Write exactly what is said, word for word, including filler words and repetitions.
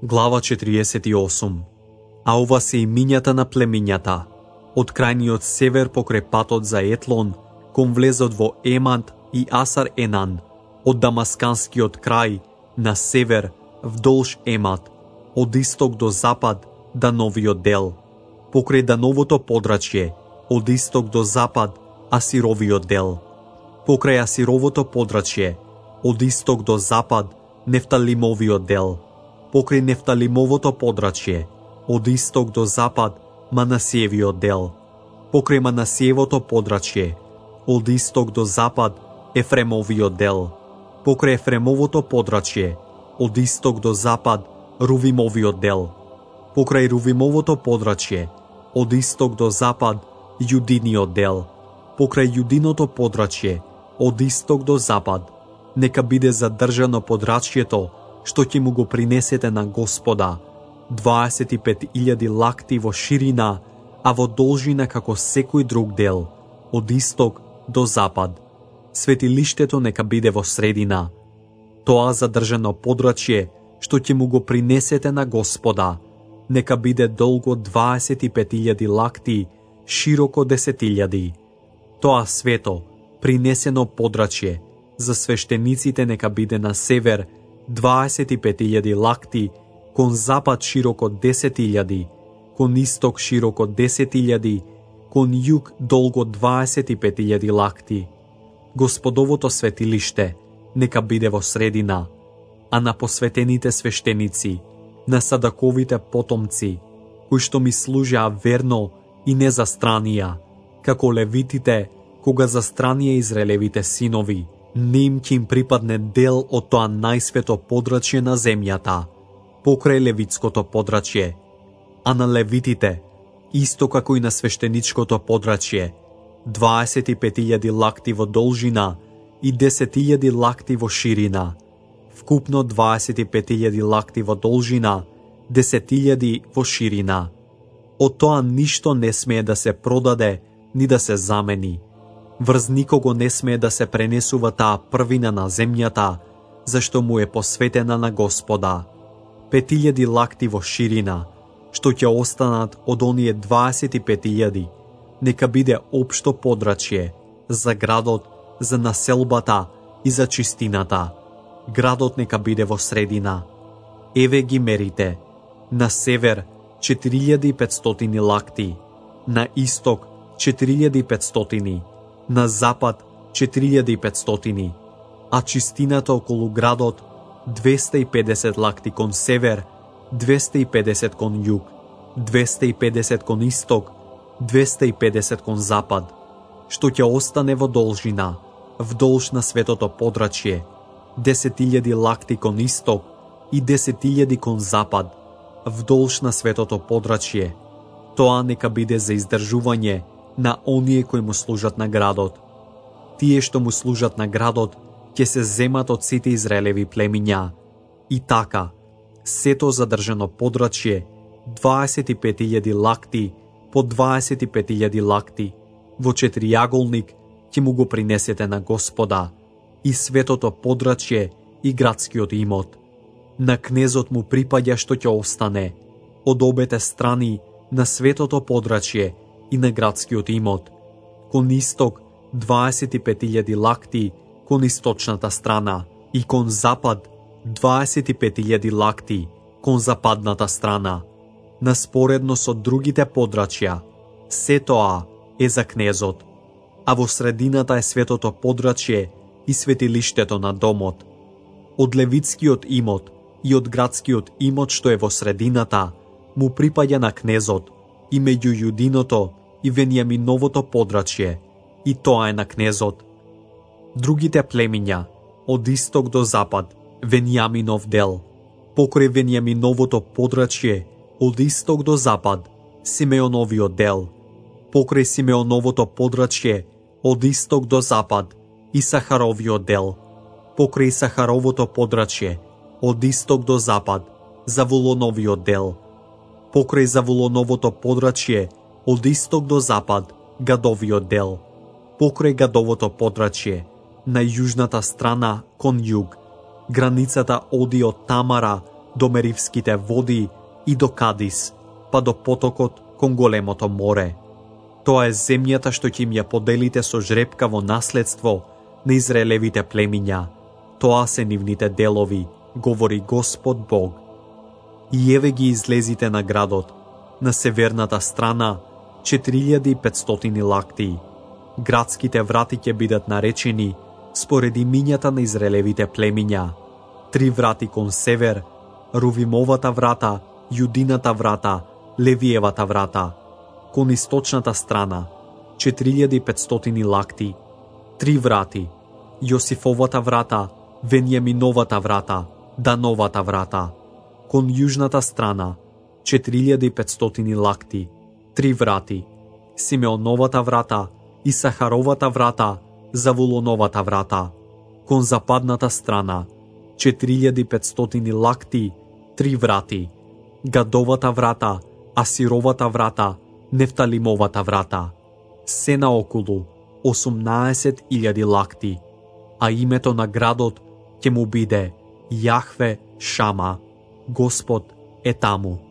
Глава четириесет и осум. А ова се имињата на племињата. Од крајниот север покрај патот за Етлон, кон влезот во Емант и Асар Енан, од Дамасканскиот крај, на север, вдолж Емат, од исток до запад, Дановиот дел, покрај Дановото подрачје, од исток до запад, Асировиот дел, покрај Асировото подрачје, од исток до запад, Нефталимовиот дел, покрај Нефталимовото подрачје, од исток до запад, Манасиевиот дел, покрај Манасиевото подрачје, од исток до запад, Ефремовиот дел, покрај Ефремовото подрачје, од исток до запад, Рувимовиот дел, покрај Рувимовото подрачје, од исток до запад, Јудиниот дел, покрај Јудиното подрачје, од исток до запад, нека биде задржано подрачјето, што ќе му го принесете на Господа, дваесет и пет илјади лакти во ширина, а во должина како секој друг дел, од исток до запад. Светилиштето нека биде во средина. Тоа задржано подрачје, што ќе му го принесете на Господа, нека биде долго дваесет и пет илјади лакти, широко десет илјади. Тоа свето, принесено подрачје, за свештениците нека биде на север дваесет и пет илјади лакти, кон запад широко десет илјади, кон исток широко десет илјади, кон југ долго дваесет и пет илјади лакти. Господовото светилиште нека биде во средина, а на посветените свештеници, на Садаковите потомци, кои што ми служеа верно и не застранија, како левитите, кога застранија Израелевите синови, не им ќе им припадне дел од тоа најсвето подрачје на земјата, покрај левитското подрачје, а на левитите, исто како и на свештеничкото подрачје, дваесет и пет илјади лакти во должина и десет илјади лакти во ширина, вкупно дваесет и пет илјади лакти во должина, десет илјади во ширина. Од тоа ништо не смее да се продаде, ни да се замени. Врз никого не смее да се пренесува таа првина на земјата, зашто му е посветена на Господа. Пет илјади лакти во ширина, што ќе останат од оние дваесет и пет илјади, нека биде општо подрачје за градот, за населбата и за чистината. Градот нека биде во средина. Еве ги мерите. На север четири илјади и петстотини лакти, на исток четири илјади и петстотини, на запад четири илјади и петстотини, а чистината околу градот двеста и педесет лакти кон север, двеста и педесет кон југ, двеста и педесет кон исток, двеста и педесет кон запад, што ќе остане во должина, вдолж на светото подрачје, десет илјади лакти кон исток и десет илјади кон запад, вдолж на светото подрачје. Тоа нека биде за издржување на оние кои му служат на градот. Тие што му служат на градот ќе се земат од сите Израелеви племиња. И така, сето задржано подрачје, дваесет и пет илјади лакти по дваесет и пет илјади лакти, во четиријаголник ќе му го принесете на Господа, и светото подрачје и градскиот имот. На кнезот му припаѓа што ќе остане, од обете страни на светото подрачје и на градскиот имот. Кон исток дваесет и пет илјади лакти кон источната страна и кон запад дваесет и пет илјади лакти кон западната страна. Наспоредно со другите подрачја, се тоа е за кнезот, а во средината е светото подрачје и светилиштето на домот. Од левитскиот имот и од градскиот имот што е во средината му припаѓа на кнезот, и меѓу Јудиното и Венијаминовото подрачје, и тоа е на кнезот. Другите племиња, од исток до запад, Венијаминов дел, покрај Венијаминовото подрачје, од исток до запад, Симеоновиот дел, покрај Симеоновото подрачје, од исток до запад, Исахаровиот дел, покрај Исахаровото подрачје, од исток до запад, Завулоновиот дел, покрај Завулоновото подрачје, од исток до запад, Гадовиот дел, покрај Гадовото подрачје, на јужната страна кон југ, границата оди од Тамара до Меривските води и до Кадис, па до потокот кон големото море. Тоа е земјата што ќе им ја поделите со жребкаво наследство на Израелевите племиња. Тоа се нивните делови, говори Господ Бог. И еве ги излезите на градот, на северната страна, четири илјади и петстотини лакти. Градските врати ќе бидат наречени според имињата на Израелевите племиња. Три врати кон север, Рувимовата врата, Јудината врата, Левиевата врата. Кон источната страна, четири илјади и петстотини лакти. Три врати, Јосифовата врата, Венјаминовата врата, Дановата врата. Кон јужната страна, четири илјади и петстотини лакти. Три врати, Симеоновата врата, Исахаровата врата, Завулоновата врата. Кон западната страна, четири илјади и петстотини лакти, три врати, Гадовата врата, Асировата врата, Нефталимовата врата. Се наоколу осумнаесет илјади лакти, а името на градот ќе му биде Јахве Шама, Господ е таму.